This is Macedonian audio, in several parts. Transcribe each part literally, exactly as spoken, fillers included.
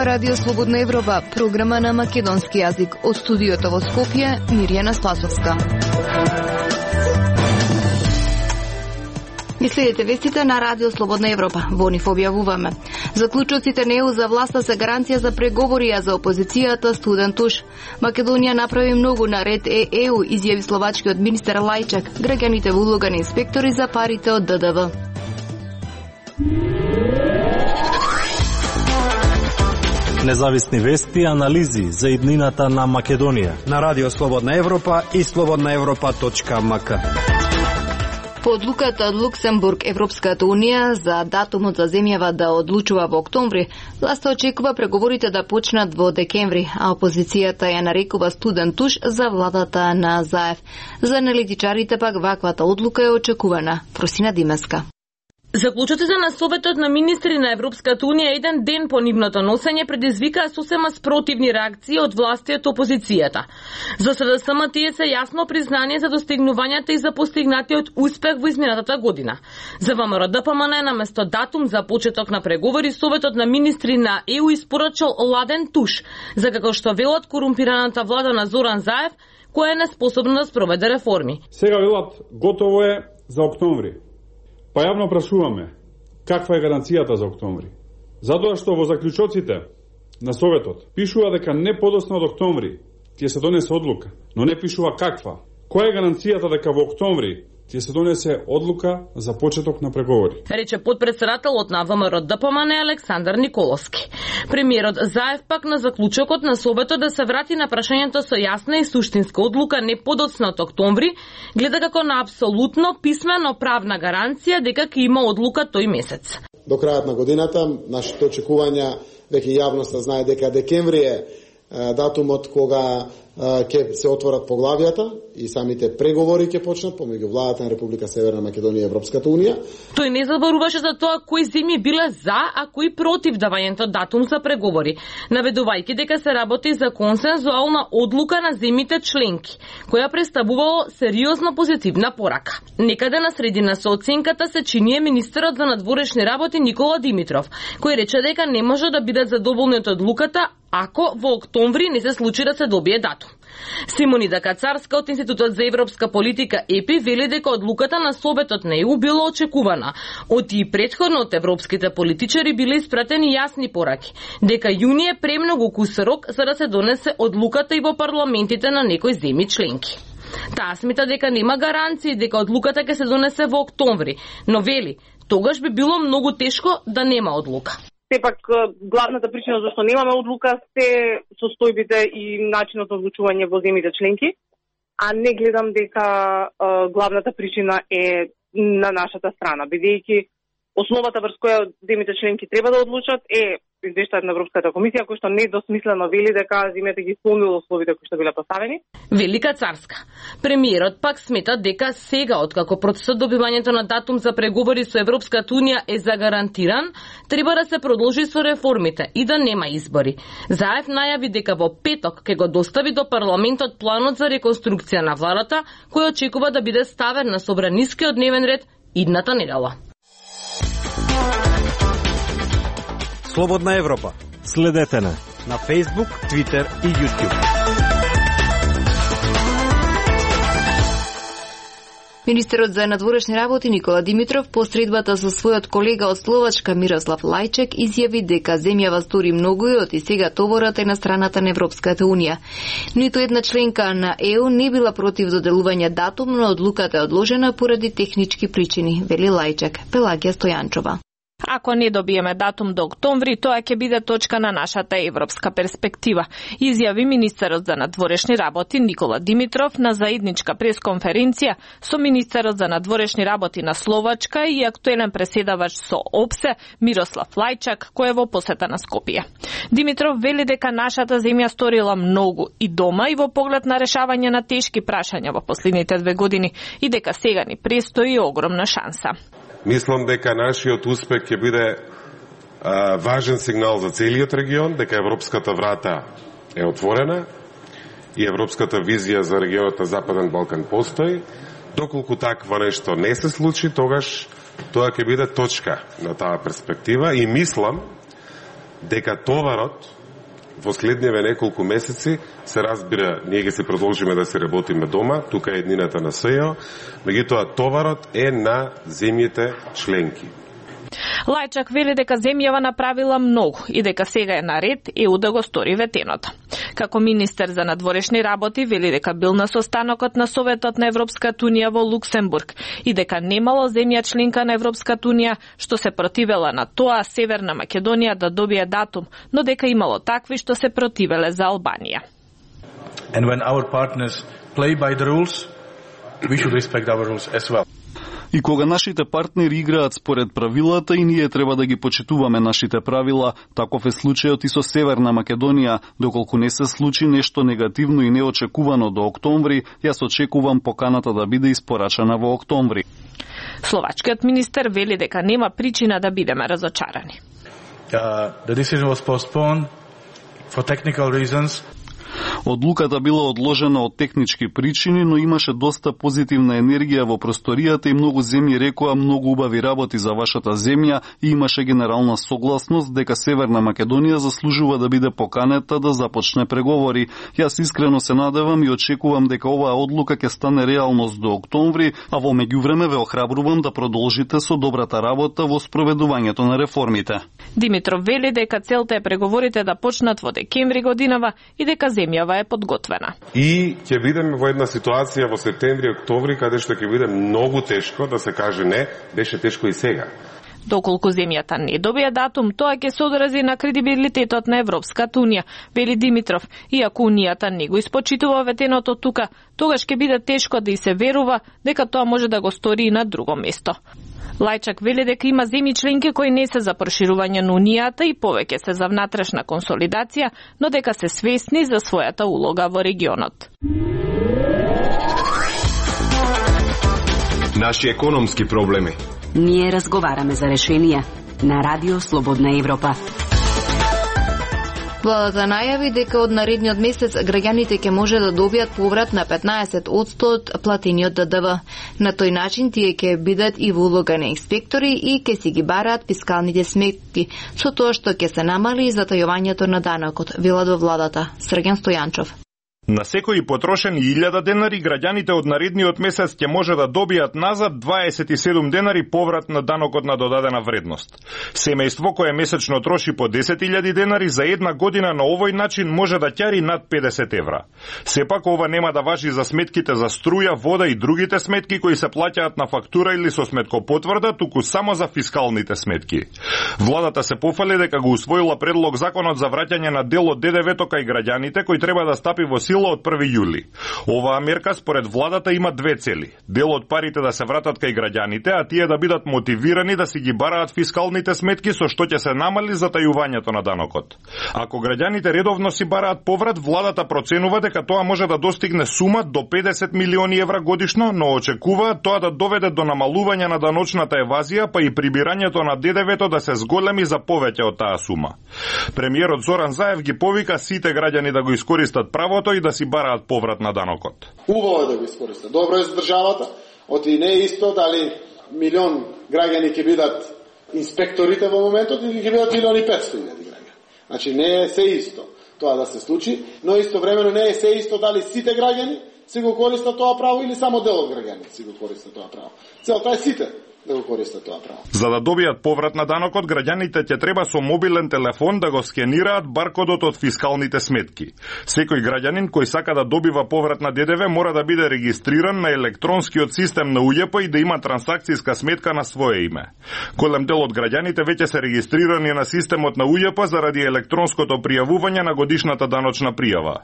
Радио Слободна Европа, програма на македонски јазик. Од студиото во Скопје, Мирјана Спасовска. Ги следите вестите на Радио Слободна Европа. Во нив објавуваме. Заклучоците на Е У за власта се гаранција за преговори, а за опозицијата студен туш. Македонија направи многу на ред е Е У, изјави словачкиот министер Лајчак. Граѓаните во улога на инспектори за парите од Д Д В. Независни вести и анализи за иднината на Македонија на Радио Слободна Европа и слободна европа точка ем ка. По одлуката од Луксембург, Европската Унија за датумот за земјава да одлучува во октомври, власта очекува преговорите да почнат во декември, а опозицијата ја нарекува студен туш за владата на Заев. За аналитичарите пак ваквата одлука е очекувана. Просина Димеска. Заклучоците на Советот на министри на Европската Унија еден ден по нивното носење предизвикаа сосема спротивни реакции од власти од опозицијата. За С Д С М тие се јасно признание за достигнувањата и за постигнатиот успех во изминатата година. За В М Р Д П М Н наместо датум за почеток на преговори, Советот на министри на Е У испорачал ладен туш, за како што велат корумпираната влада на Зоран Заев, која е неспособна да спроведе реформи. Сега велат готово е за октомври. Па јавно прашуваме, каква е гаранцијата за октомври? Затоа што во заклучоците на Советот пишува дека не подоцна од октомври ќе се донесе одлука, но не пишува каква. Која е гаранцијата дека во октомври ќе се донесе одлука за почеток на преговори? Рече подпредседателот на В М Р Д П М Н Александар Николовски. Премиерот Заев пак на заклучокот на Советот да се врати на прашањето со јасна и суштинска одлука не подоцна од октомври, гледа како на апсолутно писмено правна гаранција дека ќе има одлука тој месец. До крајот на годината нашите очекувања, веќе јавноста знае дека декември е датумот кога ќе се отворат поглавијата и самите преговори ќе почнат помеѓу владата на Република Северна Македонија и Европската Унија. Тој не заборуваше за тоа кои земји биле за, а кои против давањето датум за преговори, наведувајќи дека се работи за консензуална одлука на земјите членки, која представувало сериозно позитивна порака. Некаде на средина со оценката се чиние министерот за надворешни работи Никола Димитров, кој рече дека не може да бидат задоволни од одлуката ако во октомври не се случи да се добие датум. Симонида Кацарска од Институтот за европска политика Е Пи вели дека одлуката на Советот на Е У била очекувана. Од и претходно од европските политичари биле испратени јасни пораки, дека јуни е премногу кус рок за да се донесе одлуката и во парламентите на некои земји членки. Таа смета дека нема гаранции дека одлуката ќе се донесе во октомври, но вели, тогаш би било многу тешко да нема одлука. Сепак, главната причина зашто немаме одлука се состојбите и начинот на одлучување во земјите членки, а не гледам дека е, главната причина е на нашата страна, бидејќи основата врз која земјите членки треба да одлучат е извештајот на Европската комисија, кој што недосмислено вели дека земјите ги исполнило условите кои што биле поставени. Велика Царска. Премиерот пак смета дека сега, откако процесот добивањето на датум за преговори со Европската Унија е загарантиран, треба да се продолжи со реформите и да нема избори. Заев најави дека во петок ќе го достави до парламентот планот за реконструкција на владата, кој очекува да биде ставен на собранискиот дневен ред идната недела. Слободна Европа. Следете на на Facebook, Twitter и YouTube. Министерот за надворешни работи Никола Димитров по средбата со својот колега од Словачка Мирослав Лајчек изјави дека земјава стори многу и од и сега товорот е на страната на Европската Унија. Ниту една членка на Е У не била против доделување датум, но одлуката е одложена поради технички причини, вели Лајчек. Пелагија Стојанчова. Ако не добиеме датум до октомври, тоа ќе биде точка на нашата европска перспектива, изјави министерот за надворешни работи Никола Димитров на заедничка пресконференција со министерот за надворешни работи на Словачка и актуелен преседавач со О Б С Е Мирослав Лајчак, кој е во посета на Скопје. Димитров вели дека нашата земја сторила многу и дома и во поглед на решавање на тешки прашања во последните две години и дека сега ни престои огромна шанса. Мислам дека нашиот успех ќе биде а, важен сигнал за целиот регион, дека европската врата е отворена и европската визија за регионот на Западен Балкан постои. Доколку такво нешто не се случи, тогаш тоа ќе биде точка на таа перспектива и мислам дека товарот во следниве неколку месеци, се разбира, ние ги се продолжиме да се работиме дома, тука е еднината на СЈО, меѓутоа товарот е на земјите членки. Лајчак вели дека земјава направила многу и дека сега е на ред ЕУ да го стори ветеното. Како министер за надворешни работи вели дека бил на состанокот на Советот на Европската унија во Луксембург и дека немало земја членка на Европската унија што се противела на тоа Северна Македонија да добие датум, но дека имало такви што се противеле за Албанија. And when our partners play by the rules, we should respect our rules as well. И кога нашите партнери играат според правилата и ние треба да ги почитуваме нашите правила, таков е случајот и со Северна Македонија, доколку не се случи нешто негативно и неочекувано до октомври, јас очекувам поканата да биде испорачана во октомври. Словачкиот министер вели дека нема причина да бидеме разочарани. Uh, the decision was postponed for technical reasons. Одлуката била одложена од технички причини, но имаше доста позитивна енергија во просторијата и многу земји рекоа многу убави работи за вашата земја и имаше генерална согласност дека Северна Македонија заслужува да биде поканета да започне преговори. Јас искрено се надевам и очекувам дека оваа одлука ќе стане реалност до октомври, а во меѓувреме ве охрабрувам да продолжите со добрата работа во спроведувањето на реформите. Димитров вели дека целта е преговорите да почнат во декември годинава и дека земјава е подготвена. И ќе бидеме во една ситуација во септември, октомври, каде што ќе биде многу тешко да се каже не, беше тешко и сега. Доколку земјата не добие датум, тоа ќе се одрази на кредибилитетот на Европската унија, вели Димитров. Иако унијата не го испочитува ветеното тука, тогаш ќе биде тешко да и се верува дека тоа може да го стори и на друго место. Лајчак вели дека има земји членки кои не се за проширување на унијата и повеќе се за внатрешна консолидација, но дека се свесни за својата улога во регионот. Наши економски проблеми. Ние разговараме за решенија на Радио Слободна Европа. Владата најави дека од наредниот месец граѓаните ќе може да добијат поврат на петнаесет одсто од платениот Д Д В. На тој начин тие ќе бидат и во улога на инспектори и ќе си ги бараат фискалните сметки, со тоа што ќе се намали затајувањето на данокот, велат во владата. Срген Стојанчов. На секој потрошени илјада денари, граѓаните од наредниот месец ќе може да добијат назад дваесет и седум денари поврат на данокот на додадена вредност. Семејство кое месечно троши по десет илјади денари за една година на овој начин може да ќари над педесет евра. Сепак ова нема да важи за сметките за струја, вода и другите сметки кои се плаќаат на фактура или со сметкопотврда, туку само за фискалните сметки. Владата се пофали дека го усвоила предлог законот за враќање на дел од Д Д В-то кај граѓаните кој треба да стапи во сила од први јули. Оваа мерка според владата има две цели. Дел од парите да се вратат кај граѓаните, а тие да бидат мотивирани да си ги бараат фискалните сметки со што ќе се намали затајувањето на данокот. Ако граѓаните редовно си бараат поврат, владата проценува дека тоа може да достигне сума до педесет милиони евра годишно, но очекуваат тоа да доведе до намалување на даночната евазија, па и прибирањето на Д Д В-то да се зголеми за повеќе од таа сума. Премиерот Зоран Заев ги повика сите граѓани да го искористат правото и да си бараат поврат на данокот. Убаво е да го искористат. Добро е за државата. Оти не е исто дали милион граѓани ќе бидат инспекторите во моментот или ќе бидат милион и петсто илјади граѓани. Значи не е се исто тоа да се случи, но истовремено не е се исто дали сите граѓани си го користат тоа право или само дел од граѓаните си го користат тоа право. Целта е сите да го користат тоа право. За да добијат поврат на данокот, граѓаните ќе треба со мобилен телефон да го скенираат баркодот од фискалните сметки. Секој граѓанин кој сака да добива поврат на Д Д В мора да биде регистриран на електронскиот систем на У Ј П и да има трансакцијска сметка на свое име. Голем дел од граѓаните веќе се регистрирани на системот на У Ј П заради електронското пријавување на годишната даночна пријава.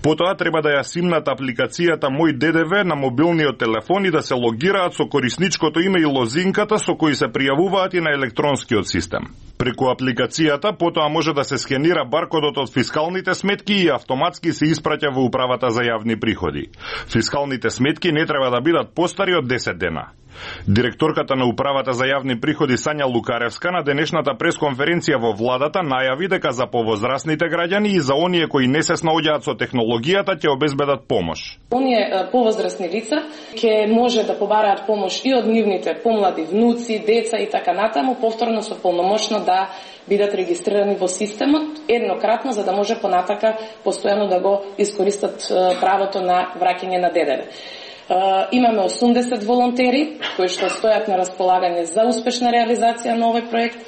Потоа треба да ја симнат апликацијата Мој Д Д В на мобилниот телефон и да се логираат со корисничкото име и лозинката со кои се пријавуваат и на електронскиот систем. Преку апликацијата потоа може да се скенира баркодот од фискалните сметки и автоматски се испраќа во управата за јавни приходи. Фискалните сметки не треба да бидат постари од десет дена. Директорката на Управата за јавни приходи Сања Лукаревска на денешната пресконференција во владата најави дека за повозрасните граѓани и за оние кои не се снаоѓаат со технологијата ќе обезбедат помош. Оние повозрасни лица ќе може да побараат помош и од нивните помлади внуци, деца и така натаму, повторно со полномошно да бидат регистрирани во системот еднократно, за да може понатака постојано да го искористат правото на враќање на ДДВ. Имаме осумдесет волонтери кои што стојат на располагање за успешна реализација на овој проект.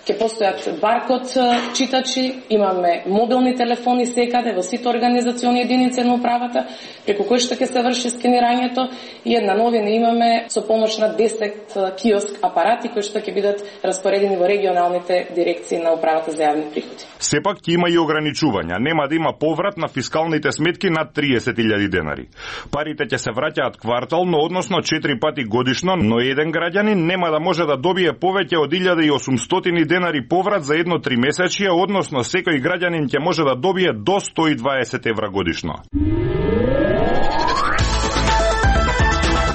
Ќе постојат баркод читачи, имаме мобилни телефони секаде во сите организациони единици на управата, преку кои што ќе се врши скенирањето, и една новина имаме со помош на десет киоск апарати кои што ќе бидат распоредени во регионалните дирекции на управата за јавни приходи. Сепак ќе има и ограничувања, нема да има поврат на фискалните сметки над триесет илјади денари. Парите ќе се враќаат квартално, односно четири пати годишно, но еден граѓанин нема да може да добие повеќе од илјада и осумстотини денари поврат за едно тримесечие, односно секој граѓанин ќе може да добие до сто и дваесет евра годишно.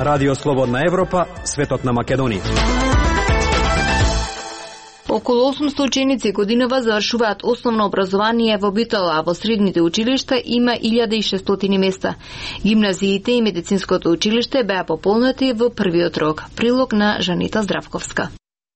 Радио Слободна Европа, светот на Македонија. Околу осумсто ученици годинава завршуваат основно образование во Битола, а во средните училишта има илјада и шестстотини места. Гимназиите и медицинското училиште беа пополнати во првиот рок. Прилог на Жанита Здравковска.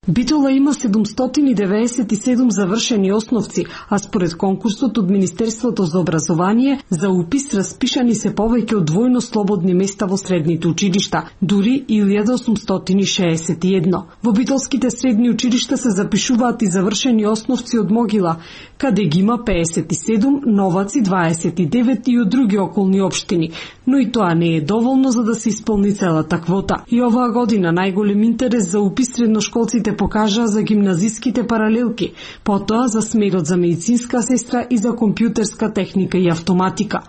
Битола има седумстотини девеесет и седум завршени основци, а според конкурсот од Министерството за образование за упис распишани се повеќе од двојно слободни места во средните училишта, дури илјада осумстотини шеесет и едно. Во битолските средни училишта се запишуваат и завршени основци од Могила, каде ги има пеесет и седум, Новаци дваесет и девет и од други околни општини, но и тоа не е доволно за да се исполни целата квота. И оваа година најголем интерес за упис средношколците покажа за гимназиските паралелки, потоа за смерот за медицинска сестра и за компјутерска техника и автоматика.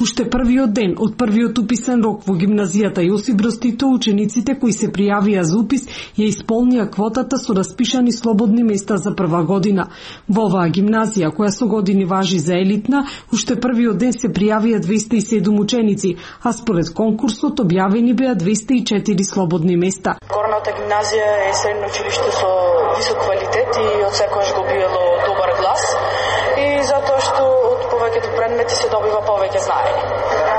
Уште првиот ден од првиот уписен рок во гимназијата Јосип Броз Тито, учениците кои се пријавија за упис ја исполнија квотата со распишани слободни места за прва година. Во оваа гимназија, која со години важи за елитна, уште првиот ден се пријавија двеста и седум ученици, а според конкурсот објавени беа двеста и четири слободни места. Горната гимназија е средно училиште со висок квалитет и од секојаш го биело добар глас, и затоа што од повеќето предмети се добива повеќе знаење.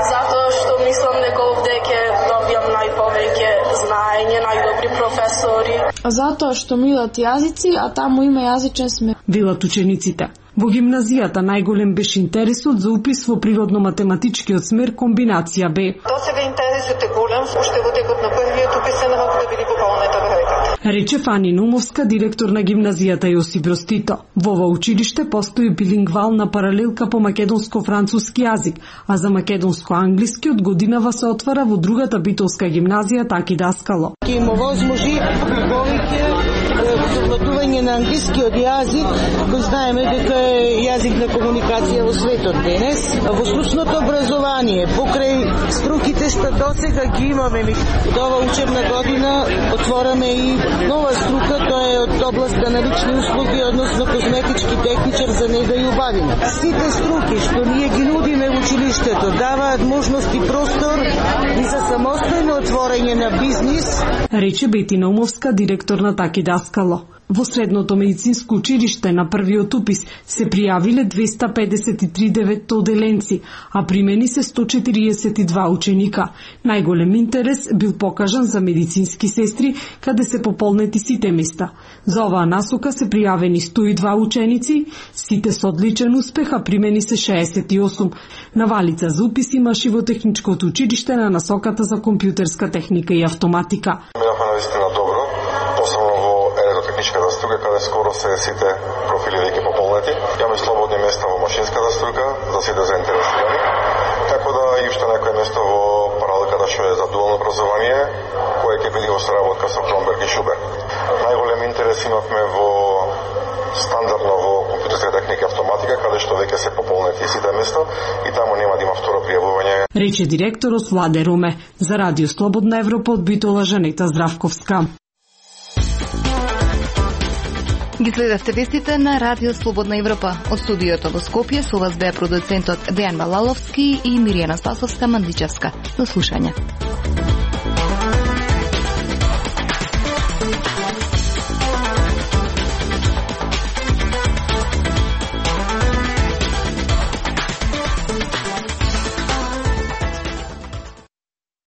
Затоа што мислам дека овде ќе добијам најповеќе знаење, најдобри професори. Затоа што милат јазици, а таму има јазичен смер. Велат учениците. Во гимназијата најголем беше интересот за упис во природно-математичкиот смер комбинација Б. До сега интересот е голем, уште во текот на првиот уписен рок да биде пополнета бројката. Рече Фани Нумовска, директор на гимназијата Јосип Броз Тито. Во ова училиште постои билингвална паралелка по македонско-француски јазик, а за македонско-англиски од годинава се отвара во другата битолска гимназија Таки Даскало. Ќе има возможи повеќе совладување на англискиот јазик, кој знаеме дека е јазик на комуникација во светот денес. Во стручното образование, покрај струките што досега ги имаме, до ова учебна година отвораме и нова струка, тоа е од областа на лични услуги, односно козметички техничар за нега и убавина. Сите струки што ние ги нудиме во училиштето даваат можност и простор и за самостојно отворање на бизнис. Рече Бетина Умовска, директор на Таки Даскало. Во средното медицинско училиште на првиот упис се пријавиле двеста педесет и три деветоделенци, а примени се сто четириесет и два ученика. Најголем интерес бил покажан за медицински сестри, каде се пополнети сите места. За оваа насока се пријавени сто и два ученици, сите со одличен успех, а примени се шеесет и осум. Навалица за упис имаше во техничкото училиште на насоката за компјутерска техника и автоматика. Минавме наистина добро, посебно во електротехничката струка, каде скоро се сите профили веќе пополнети. Имаме слободни места во машинската струка за сите заинтересирани. Така да и уште некој место во паралелката што е за дуално образование, кое ќе биде во соработка со Кромберг и Шубер. Најголем интерес имавме во стандардно во компјутерска техника и автоматика, каде што веќе се пополнети сите места и таму нема да има второ пријавување. Рече директорот Владе Руме. За Радио Слободна Европа од Битола Жанета Здравковска. Ги следевте вестите на Радио Слободна Европа. Од студиото во Скопје со вас беа продуцентот Дејан Малаловски и Миријана Спасовска Мандичевска. До слушање.